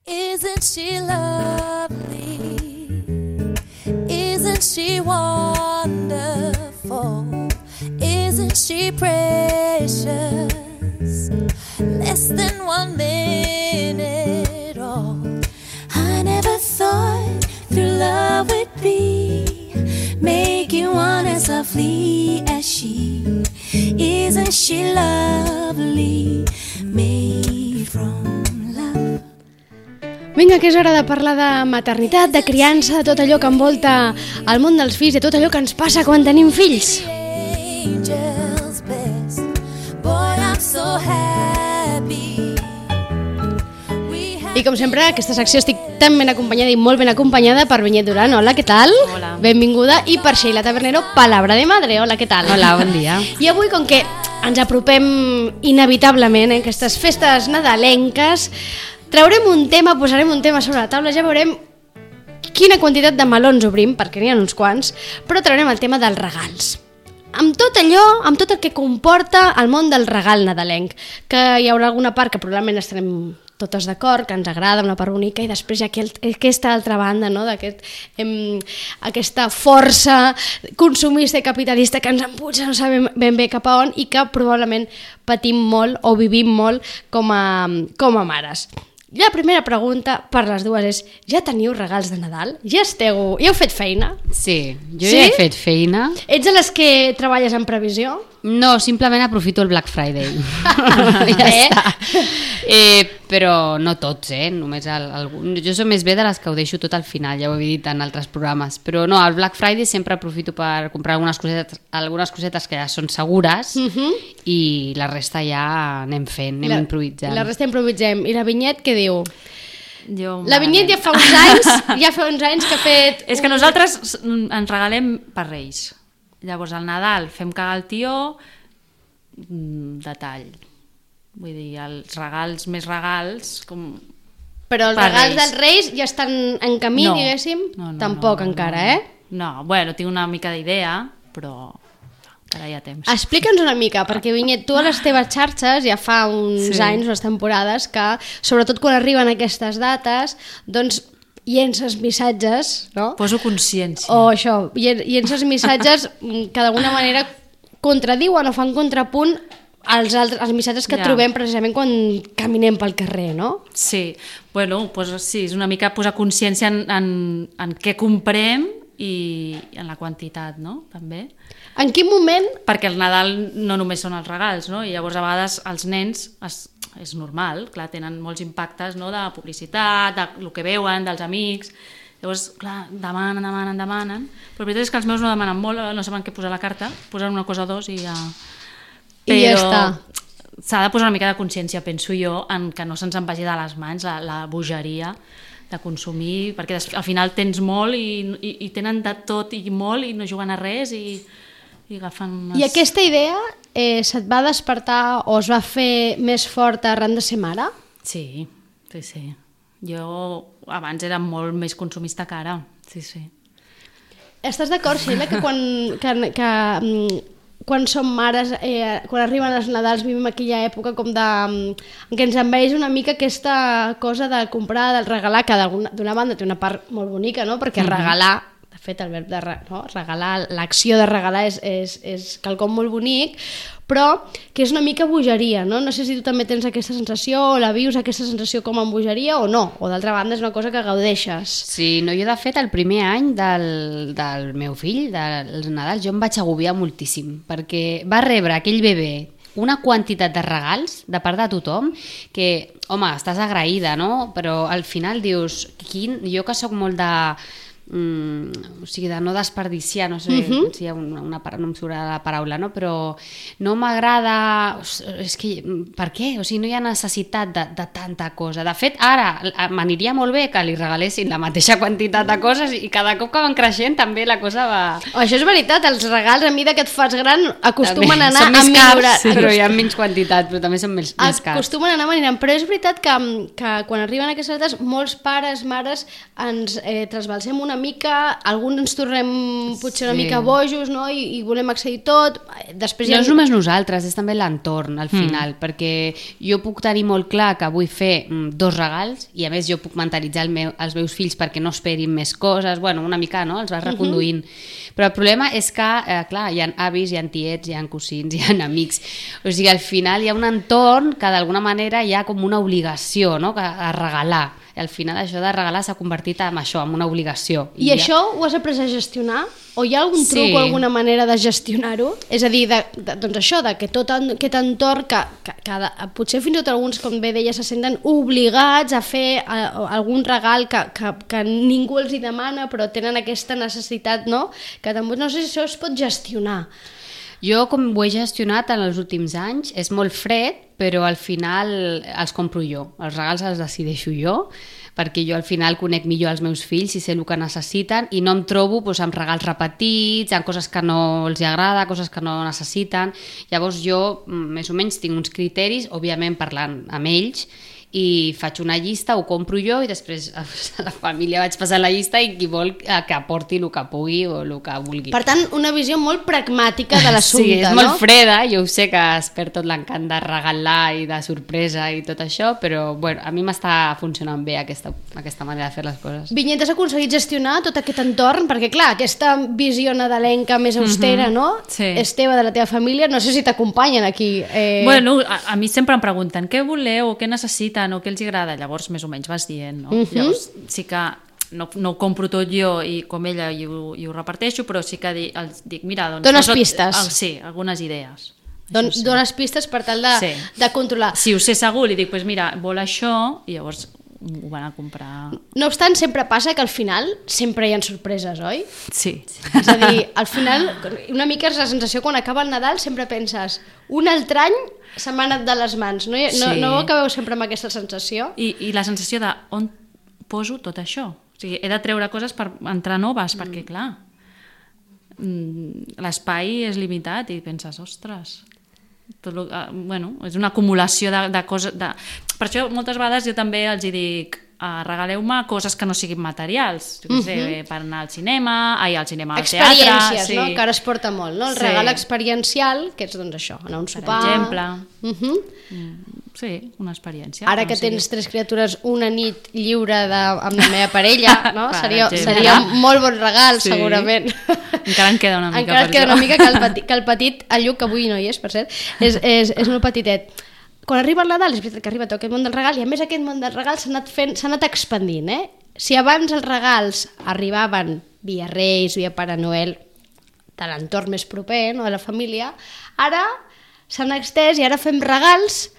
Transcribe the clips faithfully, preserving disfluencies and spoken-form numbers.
Isn't she lovely? Isn't she wonderful? Isn't she precious? Less than one minute old. I never thought through love would be making one as lovely as she. Isn't she lovely? Made from love. Vinga, que és hora de parlar de maternitat, de criança, de tot allò que envolta el món dels fills, de tot allò que ens passa quan tenim fills. I com sempre, aquesta secció estic tan ben acompanyada i molt ben acompanyada per Vinyet Duran. Hola, què tal? Hola. Benvinguda. I per Sheila Tabernero, Palabra de Madre. Hola, què tal? Hola, bon dia. I avui, com que ens apropem inevitablement a aquestes festes nadalenques, traurem un tema, posarem un tema sobre la taula, ja veurem quina quantitat de melons obrim, perquè n'hi ha uns quants, però traurem el tema dels regals. Amb tot allò, amb tot el que comporta el món del regal nadalenc, que hi haurà alguna part que probablement estarem totes d'acord, que ens agrada, una part bonica, i després hi ha aquest, aquesta altra banda, no? D'aquest, em, aquesta força consumista i capitalista que ens empuja, no sabem ben bé cap a on, i que probablement patim molt o vivim molt com a, com a mares. La primera pregunta per les dues és: ja teniu regals de Nadal? Ja esteu... Ja heu fet feina? Sí, jo Sí? ja he fet feina. Ets de les que treballes en previsió? No, simplement aprofito el Black Friday. ja Eh? està. Eh, però no tots, eh? Només el, algun... Jo soc més bé de les que ho deixo tot al final, ja ho he dit en altres programes. Però no, el Black Friday sempre aprofito per comprar algunes cosetes, algunes cosetes que ja són segures Uh-huh. i la resta ja anem fent, anem la, improvisant. La resta improvisem. I la Vinyet què diu? Jo, La Vinyet ja fa uns anys, ja fa uns anys que ha fet... És que nosaltres ens regalem per Reis. Llavors al Nadal fem cagar el tió, mm, detall. Vull dir, els regals més regals... Com... Però els per regals Reis. dels Reis ja estan en camí, No. diguéssim? No, no, Tampoc no, encara, no. eh? No, bueno, tinc una mica d'idea, però encara hi ha temps. Explica'ns una mica, perquè Vinyet, tu a les teves xarxes ja fa uns Sí. anys, unes temporades, que sobretot quan arriben aquestes dates, doncs llences missatges, no? Poso consciència. O això, llen- llences missatges mm, que d'alguna manera contradiuen o fan contrapunt als, altres, als missatges que Ja. trobem precisament quan caminem pel carrer, no? Sí, bueno, pues sí, és una mica posar consciència en, en, en què comprem i en la quantitat, no? També. En quin moment... Perquè el Nadal no només són els regals, no? I llavors a vegades els nens, es, és normal, clar, tenen molts impactes, no? De publicitat, de lo que veuen, dels amics... Llavors, clar, demanen, demanen, demanen... Però la veritat és que els meus no demanen molt, no saben què posar a la carta, posen una cosa o dos i ja... I ja està. S'ha de posar una mica de consciència, penso jo, en que no se'ns en vagi de les mans la, la bogeria de consumir, perquè des, al final tens molt i, i, i tenen de tot i molt i no juguen a res i, i agafen unes... I aquesta idea eh, se't va despertar o es va fer més forta arran de ser mare? Sí, sí, sí. Jo abans era molt més consumista que ara, sí, sí. Estàs d'acord, Sheila, que quan, que, que, mm, quan som mares, eh, quan arriben els Nadals, vivim aquella època com de... en què ens envaeix una mica aquesta cosa de comprar, del regalar, que d'una banda té una part molt bonica, no? Perquè regalar, de fet, el verb de re, no? regalar, l'acció de regalar és, és, és quelcom molt bonic, però que és una mica bogeria, no? No sé si tu també tens aquesta sensació o la vius aquesta sensació com a bogeria o no, o d'altra banda és una cosa que gaudeixes. Sí, no, jo de fet el primer any del, del meu fill, dels Nadals, jo em vaig agobiar moltíssim, perquè va rebre aquell bebè una quantitat de regals de part de tothom que, home, estàs agraïda, no? Però al final dius, quin... jo que sóc molt de... Mm, o sigui, de no desperdiciar, no sé uh-huh. si hi ha una, una, no em surt la paraula, no? Però no m'agrada, és que, per què? O sigui, no hi ha necessitat de, de tanta cosa. De fet, ara m'aniria molt bé que li regalessin la mateixa quantitat de coses i cada cop que van creixent també la cosa va... Oh, això és veritat, els regals a mida que et fas gran acostumen també, a anar són més a cars, millorar. sí, però hi ha menys quantitat, però també són més, més cars. Acostumen a anar manirant, però és veritat que, que quan arriben aquestes dates molts pares, mares ens eh, trasbalsem una mica, alguns ens tornem potser una Sí. mica bojos, no? I, i volem accedir tot. Després No hi ha... és només nosaltres, és també l'entorn al final, mm. perquè jo puc tenir molt clar que vull fer mm, dos regals i a més jo puc mentalitzar el meu, els meus fills perquè no esperin més coses, bueno, una mica, no? Els vas reconduint. Uh -huh. Però el problema és que, eh, clar, hi ha avis, hi ha tiets, hi ha cosins, hi ha amics. O sigui, al final hi ha un entorn que d'alguna manera hi ha com una obligació, no? Que, a regalar. I al final això de regalar s'ha convertit en això, en una obligació. I, I ja... això ho has après a gestionar? O hi ha algun truc Sí. o alguna manera de gestionar-ho? És a dir, de, de, doncs això, de que tot en, aquest entorn, que, que, que de, potser fins i tot alguns, com bé deia, se senten obligats a fer a, a algun regal que, que, que ningú els hi demana, però tenen aquesta necessitat, no? Que també no sé si això es pot gestionar. Jo, com ho he gestionat en els últims anys, és molt fred, però al final els compro jo. Els regals els decideixo jo, perquè jo al final conec millor els meus fills i sé el que necessiten i no em trobo doncs, amb regals repetits, amb coses que no els agrada, coses que no necessiten. Llavors jo més o menys tinc uns criteris, òbviament parlant amb ells, i faig una llista, ho compro jo i després a la família vaig passar la llista i qui vol que aporti el que pugui o el que vulgui. Per tant, una visió molt pragmàtica de l'assumpte, sí, és no? molt freda, jo ho sé que es perd tot l'encant de regalar i de sorpresa i tot això, però bueno, a mi m'està funcionant bé aquesta, aquesta manera de fer les coses. Vinyet, has aconseguit gestionar tot aquest entorn? Perquè clar, aquesta visió nadalenca més austera, Mhm. no? Sí. És teva, de la teva família, no sé si t'acompanyen aquí. Eh... Bueno, a, a mi sempre em pregunten què voleu o què necessiten o què els agrada, llavors més o menys vas dient, no? Mhm. Llavors sí que no, no ho compro tot jo i com ella i ho, i ho reparteixo, però sí que di, els dic, mira, doncs... Dones posa't- pistes. El, sí, algunes idees. Don, Això sí. dones pistes per tal de, Sí. de controlar. Si ho sé segur, li dic, pues mira, vol això, i llavors ho van a comprar... No obstant, sempre passa que al final sempre hi ha sorpreses, oi? Sí. És a dir, al final, una mica és la sensació quan acaba el Nadal, sempre penses, un altre any se m'ha anat de les mans, no, no, Sí. no acabeu sempre amb aquesta sensació? I, i la sensació de on poso tot això? O sigui, he de treure coses per entrar noves, mm. perquè, clar, l'espai és limitat i penses, ostres... Tot lo, uh, bueno, és una acumulació de, de coses... De... Per això moltes vegades jo també els hi dic uh, regaleu-me coses que no siguin materials, jo què sé, uh-huh. per anar al cinema, ai, al cinema, al teatre... Experiències, sí. no? Que ara es porta molt, no? El Sí. regal experiencial, que és doncs això, anar a un Per sopar... exemple. Uh-huh. Mm, sí, una experiència. Ara que tens tres criatures, una nit lliure de, amb la meva parella, no? Per seria, exemple. seria un molt bon regal, Sí. segurament. Encara en queda una mica Encara per et queda això. una mica que el petit, que el petit, el Lluc, que avui no hi és, per cert, és, és, és molt petitet. Quan arriba el Nadal, és veritat que arriba tot aquest món del regal, i a més aquest món del regal s'ha anat, fent, s'ha anat expandint, eh? Si abans els regals arribaven via Reis, via Pare Noel, de l'entorn més proper, no? De la família, ara s'han extès i ara fem regals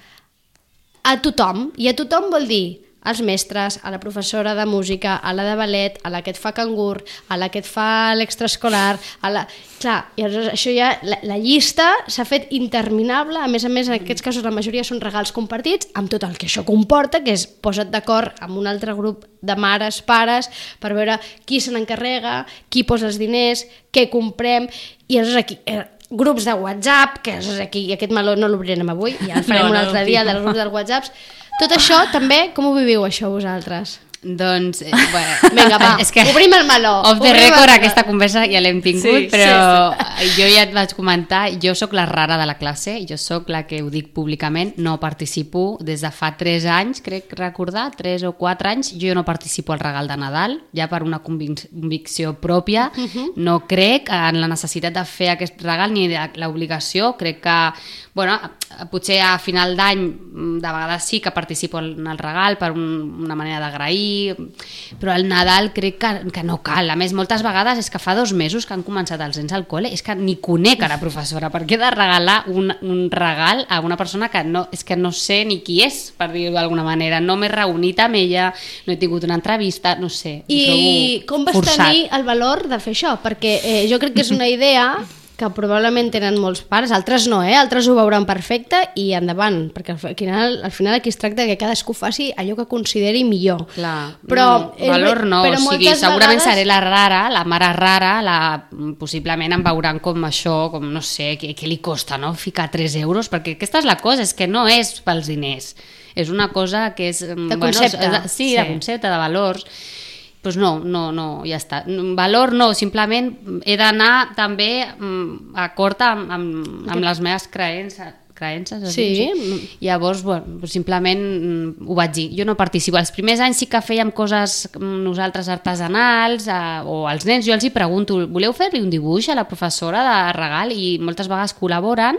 a tothom, i a tothom vol dir als mestres, a la professora de música, a la de ballet, a la que et fa cangur, a la que et fa l'extraescolar, a la... Clar, i aleshores això ja, la, la llista s'ha fet interminable, a més a més en aquests casos la majoria són regals compartits, amb tot el que això comporta, que és posa't d'acord amb un altre grup de mares, pares, per veure qui se n'encarrega, qui posa els diners, què comprem, i aleshores aquí... Eh, grups de WhatsApp, que és aquí, aquest meló no l'obrirem avui, ja el farem No, un no, altre no, dia, no. dels grups dels WhatsApps. Tot això també, com ho viviu això vosaltres? Doncs, eh, bueno, Vinga, va, és que obrim el meló. Off the obrim el record meló. aquesta conversa ja l'hem tingut, Sí, però sí, sí. jo ja et vaig comentar, jo sóc la rara de la classe, jo sóc la que ho dic públicament, no participo des de fa tres anys, crec recordar, tres o quatre anys, jo no participo al regal de Nadal, ja per una convic convicció pròpia, uh -huh. no crec en la necessitat de fer aquest regal ni l'obligació, crec que, bueno, potser a final d'any de vegades sí que participo en el regal per un, una manera d'agrair, però al Nadal crec que, que no cal. A més, moltes vegades és que fa dos mesos que han començat els nens al col·le, és que ni conec a la professora, per què he de regalar un, un regal a una persona que no, és que no sé ni qui és, per dir-ho d'alguna manera, no m'he reunit amb ella, no he tingut una entrevista, no sé. I com vas forçat. tenir el valor de fer això? Perquè eh, jo crec que és una idea que probablement tenen molts pares, altres no, eh? Altres ho veuran perfecte i endavant, perquè al final, al final aquí es tracta que cadascú faci allò que consideri millor. Clar, però no, és, valor no, però o sigui, moltes segurament vegades... seré la rara, la mare rara, la, possiblement em veuran com això, com no sé, què, què li costa, no?, ficar tres euros, perquè aquesta és la cosa, és que no és pels diners, és una cosa que és... De concepte. Bueno, sí, sí, de concepte, de valors. pues no, no, no, ja està. Valor no, simplement he d'anar també acord amb, amb, amb les meves creences, creences sí. sí. Llavors, bueno, simplement ho vaig dir. Jo no participo. Els primers anys sí que fèiem coses nosaltres artesanals eh, o als nens, jo els hi pregunto, voleu fer-li un dibuix a la professora de regal? I moltes vegades col·laboren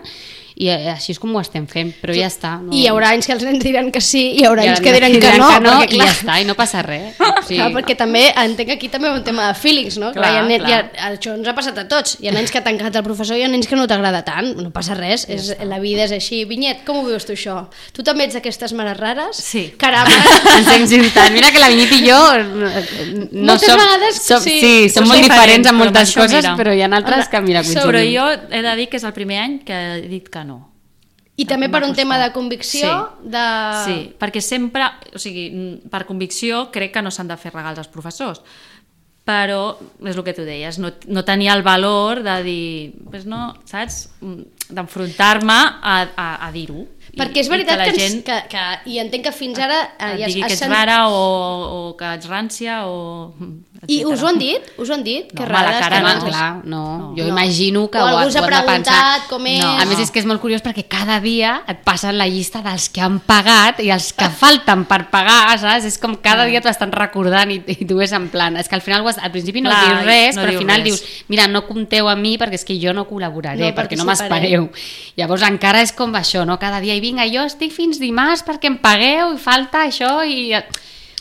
i així és com ho estem fent, però ja està. No... I hi haurà anys que els nens diran que sí i hi haurà I anys que diran que, diran no, que no perquè, clar, i ja està, i no passa res. Sí. Clar, perquè també entenc que aquí també hi ha un tema de feelings, no? Clar, clar, hi ha nen, clar. hi ha, això ens ha passat a tots. Hi ha nens que t'ha encantat el professor i hi ha nens que no t'agrada tant. No passa res, és, la vida és així. Vinyet, com ho veus tu això? Tu també ets d'aquestes mares rares? Sí. Caram! Ens hem juntat. Mira que la Vinyet i jo no Moltes som, vegades, som, sí, sí, som som molt diferents, diferents en però moltes això, coses, mira. però hi ha altres que, mira, Som- Però coincidim. jo he de dir que és el primer any que he dit que no. I també per un M'ha tema de costat. convicció, Sí. de... Sí, perquè sempre, o sigui, per convicció crec que no s'han de fer regals als professors, però és el que tu deies, no, no tenia el valor de dir, pues no, saps, d'enfrontar-me a, a, a dir-ho. Perquè és veritat I que, que, la ens, gent que, que, i entenc que fins ara... et ja digui has que ets sent- rara o, o que ets rància o... I etcètera. us ho han dit? Us ho han dit? No, que home, a la rarades, cara que no. abans- Clar, no. No. Jo No. imagino que O ho, algú ho us ha hem de pensar. preguntat com és. No. A més, és que és molt curiós perquè cada dia et passen la llista dels que han pagat i els que falten per pagar, saps? És com cada dia t'ho estan recordant i, i tu és en plan... És que al final, ho has- al principi no Clar, dius res, no però al dius final res. dius, mira, no compteu a mi perquè és que jo no col·laboraré, No perquè no participaré. m'espereu. Llavors encara és com això, no? Cada dia, i vinga, jo estic fins dimarts perquè em pagueu i falta això i...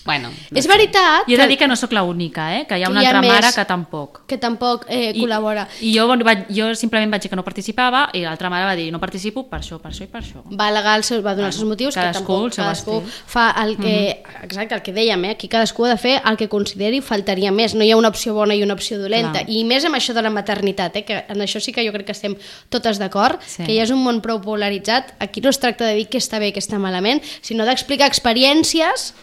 Bueno, no És sé. veritat Jo he de dir que no sóc l'única, eh? Que hi ha que una hi ha altra mare més. que tampoc. que tampoc eh, col·labora. I jo, vaig, jo simplement vaig dir que no participava i l'altra mare va dir no participo per això, per això i per això. Va alegar el seu, va donar els seus motius, que cadascú tampoc el seu cadascú estil. fa el que... Exacte, el que dèiem, eh? Aquí cadascú ha de fer el que consideri, faltaria més. No hi ha una opció bona i una opció dolenta. Clar. I més amb això de la maternitat, eh? Que en això sí que jo crec que estem totes d'acord, Sí. que ja és un món prou polaritzat. Aquí no es tracta de dir què està bé i què està malament, sinó d'explicar experiències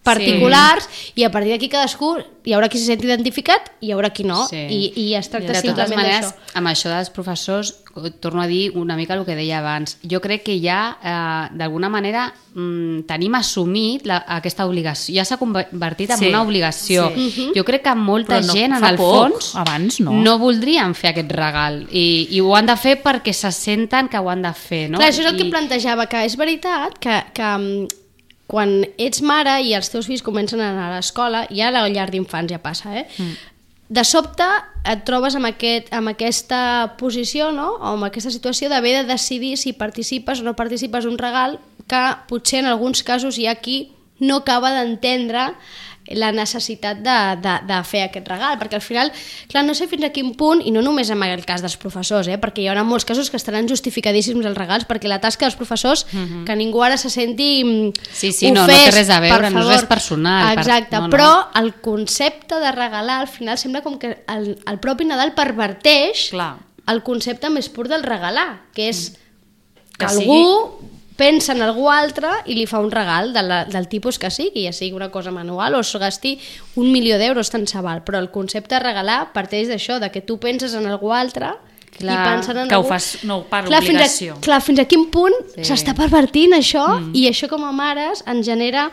particulars sí. I a partir d'aquí cadascú hi haurà qui se senti identificat i hi haurà qui no Sí. i, i es tracta De totes simplement maneres, d'això. amb això dels professors, torno a dir una mica el que deia abans. Jo crec que ja, eh, d'alguna manera, mm, tenim assumit la, aquesta obligació. Ja s'ha convertit en Sí, una obligació. sí. Jo crec que molta Però no, gent, en fa el poc, fons, abans no. no voldrien fer aquest regal. I, I ho han de fer perquè se senten que ho han de fer. No? Clar, això és el que I... plantejava, que és veritat que, que mm, quan ets mare i els teus fills comencen a anar a l'escola, ja a la llar d'infants ja passa, eh? Mm. De sobte et trobes amb, aquest, amb aquesta posició, no? O amb aquesta situació d'haver de decidir si participes o no participes un regal que potser en alguns casos hi ha qui no acaba d'entendre la necessitat de, de, de fer aquest regal, perquè al final, clar, no sé fins a quin punt, i no només en el cas dels professors, eh, perquè hi haurà molts casos que estaran justificadíssims els regals, perquè la tasca dels professors, uh-huh. que ningú ara se senti mm, Sí, sí, no, no té res a veure, no és res personal. per- Exacte, no, no. però el concepte de regalar al final sembla com que el, el propi Nadal perverteix Clar. el concepte més pur del regalar, que és que, Que algú pensa en algú altre i li fa un regal de la, del tipus que sigui, ja sigui una cosa manual o es gasti un milió d'euros, tant se val, però el concepte de regalar parteix d'això, de que tu penses en algú altre Clar, i pensen en que ho algú... fas no per Clar, fins obligació. a, clar, fins a quin punt Sí. s'està pervertint això mm. i això com a mares ens genera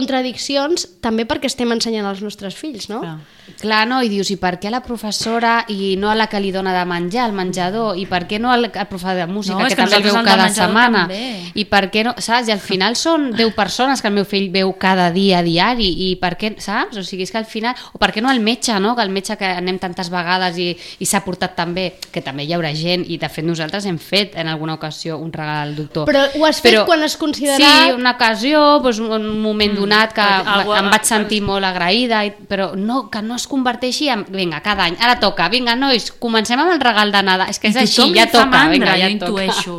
contradiccions també perquè estem ensenyant als nostres fills, no? Clar. Clar, no? I dius, i per què a la professora i no a la que li dona de menjar, al menjador? I per què no al, al professor de música, No, és que, que també el nosaltres veu el del cada menjador setmana? també. I per què no, saps? I al final són deu persones que el meu fill veu cada dia a diari, i per què, saps? O sigui, és que al final... O per què no el metge, no? Que el metge que anem tantes vegades i, i s'ha portat tan bé, que també hi haurà gent, i de fet nosaltres hem fet en alguna ocasió un regal al doctor. Però ho has fet quan has considerat- Sí, una ocasió, doncs, un moment donat que perquè algú- em vaig sentir molt agraïda, i, però no, que no es converteixi en... Vinga, cada any, ara toca, vinga, nois, comencem amb el regal de Nadal. És que és I així, tothom ja li fa toca, mandra, vinga, ja jo toca. intueixo.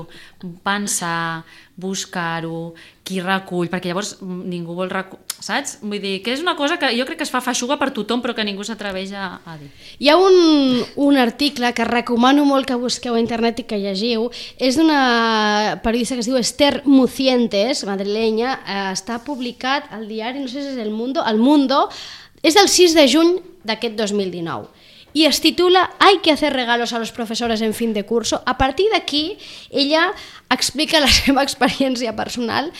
Pensar, buscar-ho, qui recull, perquè llavors ningú vol recull, saps? Vull dir, que és una cosa que jo crec que es fa feixuga per tothom, però que ningú s'atreveix a, a dir. Hi ha un, un article que recomano molt que busqueu a internet i que llegiu, és d'una periodista que es diu Esther Mucientes, madrilenya, eh, està publicat al diari, no sé si és El Mundo, El Mundo, és del sis de juny d'aquest dos mil dinou. Y es titula Hay que hacer regalos a los profesores en fin de curso. A partir d'aquí, ella explica la seva experiència personal.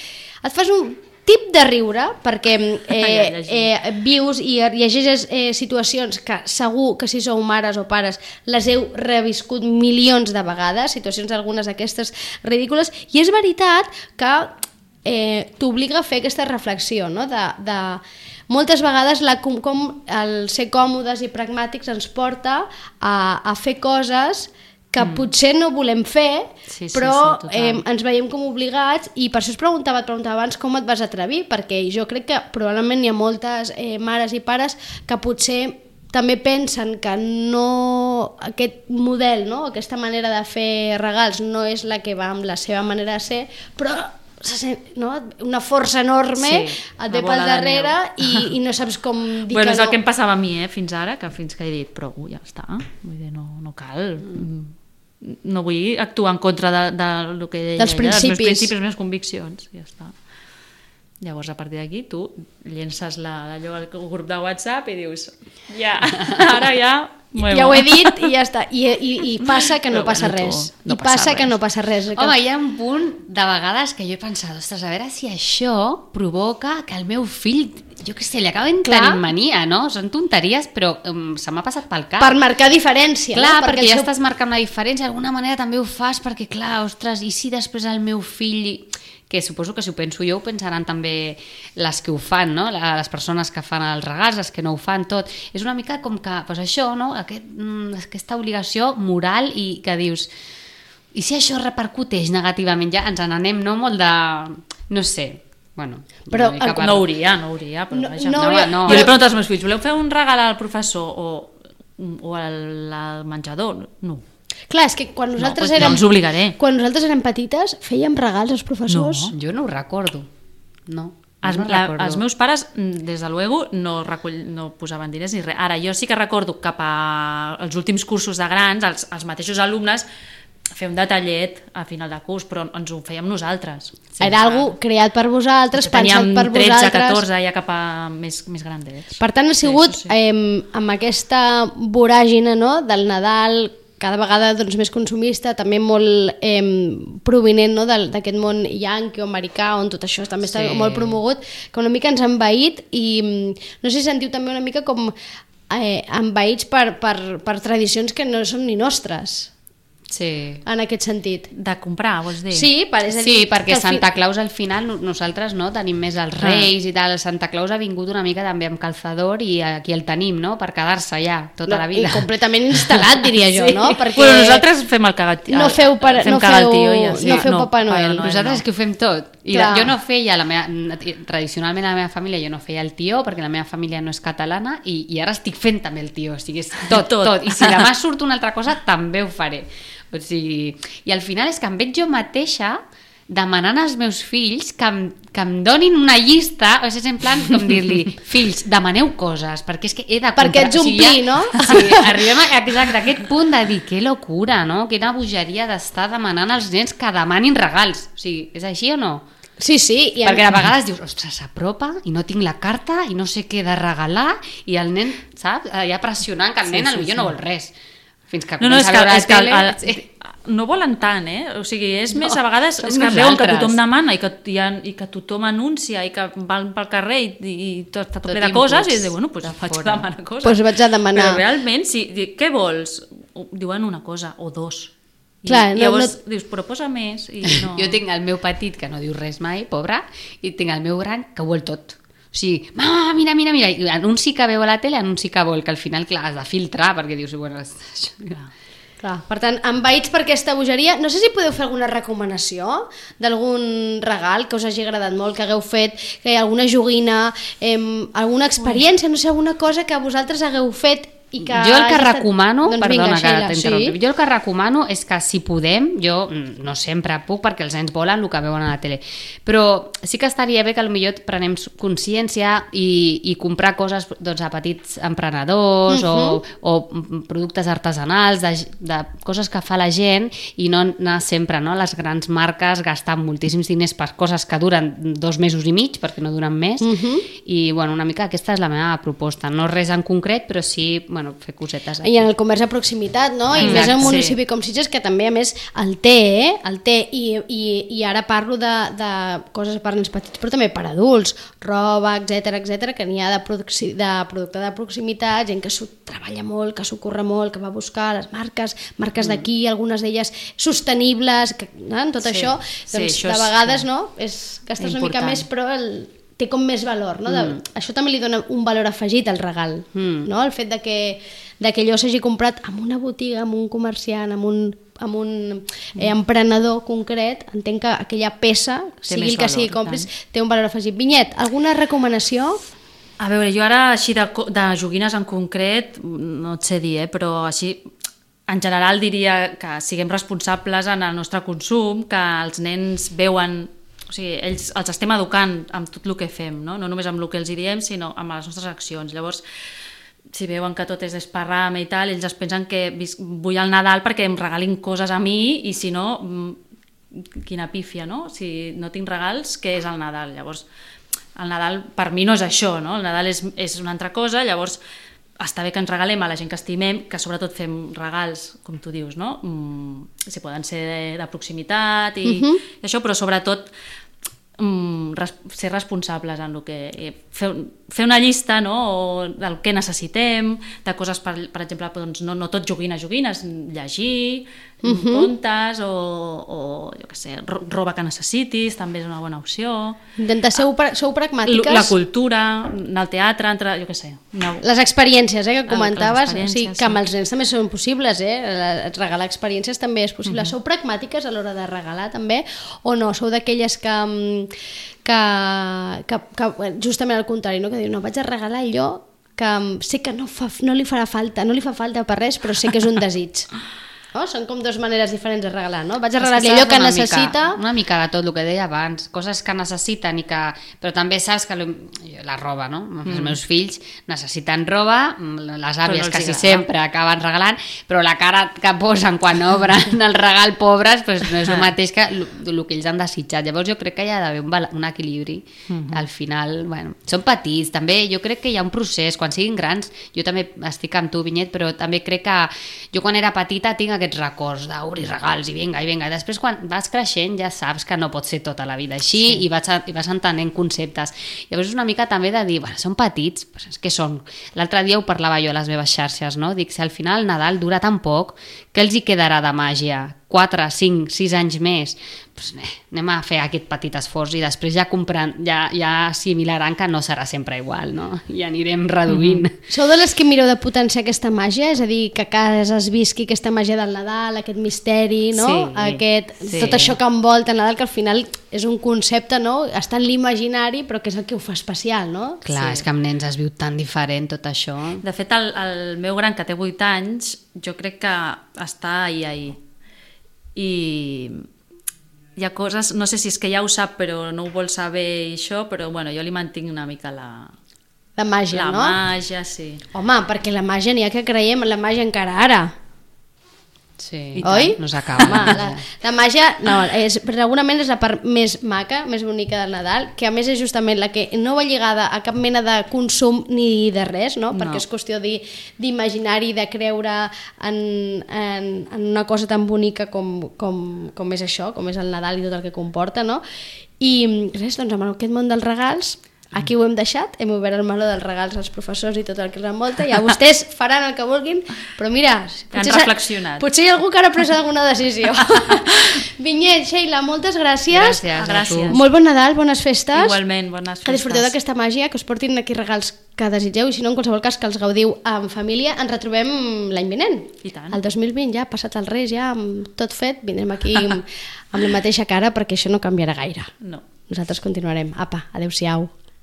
Et fas un tip de riure, perquè eh, eh, vius i llegeixes eh, situacions que segur que si sou mares o pares les heu reviscut milions de vegades, situacions algunes d'aquestes ridícules, i és veritat que eh, t'obliga a fer aquesta reflexió, no? de, de moltes vegades la, com, com el ser còmodes i pragmàtics ens porta a, a fer coses que mm. potser no volem fer, sí, sí, però sí, eh, ens veiem com obligats, i per això es preguntava, et preguntava abans com et vas atrevir, perquè jo crec que probablement hi ha moltes eh, mares i pares que potser també pensen que no, aquest model, no? Aquesta manera de fer regals no és la que va amb la seva manera de ser, però no? Una força enorme sí, et ve pel darrere i, i no saps com dir bueno, que no. És el que em passava a mi, eh, fins ara, que fins que he dit, però uh, ja està, vull dir, no, no cal... Mm. No vull actuar en contra de, de, de lo que deia, dels principis. dels meus principis, les meves conviccions, ja està. Llavors, a partir d'aquí, tu llences la, allò al grup de WhatsApp i dius, ja, ara ja... Muevo. Ja ho he dit i ja està. I, i, i passa que no Però, passa bueno, res. tu, no I passa res. que no passa res. Que... Home, hi ha un punt de vegades que jo he pensat, ostres, a veure si això provoca que el meu fill, jo què sé, li acaben tenint mania, no? Són tonteries, però um, se m'ha passat pel cap. Per marcar diferència. Clar, no? perquè, perquè ja seu... estàs marcant una diferència, d'alguna manera també ho fas, perquè clar, ostres, i si després el meu fill... que suposo que si ho penso jo ho pensaran també les que ho fan, no? Les persones que fan els regals, les que no ho fan, tot. És una mica com que, doncs això, no? Aquest, aquesta obligació moral i que dius, i si això repercuteix negativament, ja ens n'anem, no? Molt de... no sé, bueno... Però el... per... No hauria, no hauria, però no, vaja. No, no, no. Jo li pregunto als meus fills, voleu fer un regal al professor o, o al, al menjador? No. Clar, és que quan nosaltres no, érem... no els obligaré. Quan nosaltres érem petites, fèiem regals als professors. No, jo no ho recordo. No. Els, no la, recordo. els meus pares, des de luego, no, recull, no posaven diners ni res. Ara, jo sí que recordo cap als últims cursos de grans, els, els mateixos alumnes, fer un detallet a final de curs, però ens ho fèiem nosaltres. Sí, era algo creat per vosaltres, pensat per vosaltres. Teníem tretze, catorze, ja cap a més, més grandets. Per tant, ha sigut sí, sí, sí. Eh, amb aquesta voràgina, no?, del Nadal, cada vegada doncs, més consumista, també molt eh, provinent, no?, d'aquest món yankee o americà, on tot això també està sí. molt promogut, que una mica ens ha envaït i no sé si sentiu també una mica com eh, envaïts per, per, per tradicions que no són ni nostres. Sí. En aquest sentit. De comprar, vols dir? Sí, per, és a dir, sí, perquè Santa fi... Claus al final nosaltres no tenim més els Reis ah. i tal. Santa Claus ha vingut una mica també amb calçador i aquí el tenim, no?, per quedar-se ja tota no, la vida. I completament instal·lat, diria jo, sí. no? Perquè bueno, nosaltres fem el cagat no feu, per, fem no feu, tio i així. no feu no, Papa Noel. Noel nosaltres no. És que ho fem tot. I Clar. jo no feia, la meva, tradicionalment a la meva família jo no feia el tió perquè la meva família no és catalana i, i ara estic fent també el tió. O sigui, és tot, tot, tot. I si demà surt una altra cosa també ho faré. O sigui, i al final és que em veig jo mateixa demanant als meus fills que em, que em donin una llista, o sigui, és en plan com dir-li, fills, demaneu coses, perquè és que he de comprar... Perquè ets omplir, o sigui, ja, no? Sí, arribem a, exacte, a aquest punt de dir, que locura, no? Quina bogeria d'estar demanant als nens que demanin regals. O sigui, és així o no? Sí, sí. I perquè a vegades dius, ostres, s'apropa i no tinc la carta i no sé què de regalar i el nen, saps? Ja pressionant que el nen sí, sí, potser sí. no vol res. Fins que no, no, és que, a és que el, tele... el, el, no volen tant, eh? O sigui, és no, més a vegades és que nosaltres. veuen que tothom demana i que, i, i que tothom anuncia i que van pel carrer i, i tot està tot, tot ple de coses i diu, bueno, doncs pues vaig a demanar coses. Pues vaig a demanar. Però realment, si, què vols? Diuen una cosa o dos. I, Clar, i no, llavors no... dius, però posa més. I no... Jo tinc el meu petit que no diu res mai, pobre, i tinc el meu gran que ho vol tot. O sigui, mama, mira, mira, mira, i en un sí que veu a la tele, en un sí que vol, que al final, clar, has de filtrar, perquè dius, bueno, això... Clar. Clar. Per tant, envaïts per aquesta bogeria, no sé si podeu fer alguna recomanació d'algun regal que us hagi agradat molt, que hagueu fet, que hi ha alguna joguina, eh, alguna experiència, no sé, alguna cosa que vosaltres hagueu fet i que... Jo el que estat... recomano, doncs perdona vinga, que Sheila, t'interrompi, sí? jo el que recomano és que si podem, jo no sempre puc perquè els nens volen el que veuen a la tele, però sí que estaria bé que potser prenem consciència i, i comprar coses doncs, a petits emprenedors uh-huh. o, o productes artesanals, de, de coses que fa la gent i no anar sempre no, a les grans marques gastant moltíssims diners per coses que duren dos mesos i mig, perquè no duren més, uh-huh. i bueno, una mica aquesta és la meva proposta, no res en concret, però sí, bueno, bueno, fer cosetes aquí. I en el comerç de proximitat, no? I Exacte, més en un sí. municipi com Sitges, que també, a més, el té, eh? El té, i, i, i ara parlo de, de coses per nens petits, però també per adults, roba, etcètera, etcètera, que n'hi ha de, produc de producte de proximitat, gent que s'ho treballa molt, que s'ho curra molt, que va a buscar les marques, marques mm. d'aquí, algunes d'elles sostenibles, que, no? Tot sí. això, Sí, doncs això de és, vegades, sí. no? És, gastes una mica Important. més, però el, té com més valor, no? De, mm. Això també li dona un valor afegit al regal, mm. no? El fet de que, de que allò s'hagi comprat en una botiga, amb un comerciant, amb un, amb un eh, emprenedor concret, entenc que aquella peça, Té sigui més el que valor, sigui compris, té un valor afegit. Vinyet, alguna recomanació? A veure, jo ara així de, de joguines en concret, no et sé dir, eh, però així en general diria que siguem responsables en el nostre consum, que els nens veuen, o sigui, ells els estem educant amb tot el que fem, no, no només amb el que els diem, sinó amb les nostres accions. Llavors, si veuen que tot és esparrama i tal, ells es pensen que vull el Nadal perquè em regalin coses a mi i si no, quina pífia, no? Si no tinc regals, què és el Nadal? Llavors, el Nadal per mi no és això, no? El Nadal és, és una altra cosa, llavors està bé que ens regalem a la gent que estimem, que sobretot fem regals, com tu dius, no? Mm, si poden ser de, de proximitat i, uh-huh. i això, però sobretot mm, res, ser responsables en el que... Fer, fer una llista, no? O del que necessitem, de coses, per, per exemple, doncs, no, no tot joguines, joguines, llegir, uh-huh. contes o, o jo què sé, roba que necessitis, també és una bona opció. Intentar ser sou pragmàtiques. La cultura, anar al teatre, entre, jo què sé. Una... Les experiències, eh, que comentaves, o sigui, que sí. amb els nens també són possibles, eh? Regalar experiències també és possible. Uh-huh. Sou pragmàtiques a l'hora de regalar també, o no? Sou d'aquelles que, que, que, que justament al contrari, no? Que diu, no, vaig a regalar allò que sé que no, fa, no li farà falta, no li fa falta per res, però sé que és un desig. Oh, són com dues maneres diferents de regalar, no? Vaig a regalar-li allò que necessita... Mica, una mica de tot el que deia abans, coses que necessiten i que... Però també saps que la roba, no? Mm. Els meus fills necessiten roba, les àvies no quasi sempre acaben regalant, però la cara que posen quan obren el regal, pobres, pues no és el mateix que el que ells han desitjat. Llavors jo crec que hi ha d'haver un, un equilibri. Mm-hmm. Al final, bueno, són petits, també jo crec que hi ha un procés, quan siguin grans, jo també estic amb tu, Vinyet, però també crec que jo quan era petita tinc aquests records d'obrir regals i vinga, i vinga. Després quan vas creixent ja saps que no pot ser tota la vida així sí. i, vas, i vas entenent conceptes. Llavors és una mica també de dir, bueno, són petits, però és que són. L'altre dia ho parlava jo a les meves xarxes, no? Dic, si al final el Nadal dura tan poc, què els hi quedarà de màgia? quatre, cinc, sis anys més, doncs, eh, anem a fer aquest petit esforç i després ja, compran, ja, ja assimilaran que no serà sempre igual, no? I anirem reduint. Mm-hmm. Sou de les que mireu de potenciar aquesta màgia? És a dir, que a casa es visqui aquesta màgia del Nadal, aquest misteri, no? Sí, aquest, sí. Tot això que envolta el Nadal, que al final és un concepte, no? Està en l'imaginari, però que és el que ho fa especial, no? Clar, sí. És que amb nens es viu tan diferent tot això. De fet, el, el meu gran, que té vuit anys, jo crec que està ahí, ahí. I hi ha coses, no sé si és que ja ho sap però no ho vol saber i això, però bueno, jo li mantinc una mica la... La màgia, la no? La màgia, sí. Home, perquè la màgia n'hi ha que creiem en la màgia encara ara. Sí, oi? No s'acaba. Home, la, la màgia, no, és, segurament és la part més maca, més bonica del Nadal, que a més és justament la que no va lligada a cap mena de consum ni de res, no? Perquè no. És qüestió d'imaginar-hi, de creure en, en, en una cosa tan bonica com, com, com és això, com és el Nadal i tot el que comporta, no? I res, doncs amb aquest món dels regals... Aquí ho hem deixat, hem obert el meló dels regals als professors i tot el que els envolta, ja vostès faran el que vulguin, però mira, potser, han reflexionat. Potser hi ha algú que ara ha pres alguna decisió. Vinyet, Sheila, moltes gràcies. Gràcies, gràcies. Molt bon Nadal, bones festes. Igualment, bones festes. Que disfruteu d'aquesta màgia, que us portin aquí regals que desitgeu i si no, en qualsevol cas que els gaudiu en família. Ens retrobem l'any vinent. I tant. El dos mil vint ja, passat els Reis, ja amb tot fet, vindrem aquí amb, amb la mateixa cara perquè això no canviarà gaire. No. Nosaltres continuarem. Apa, adeu-siau.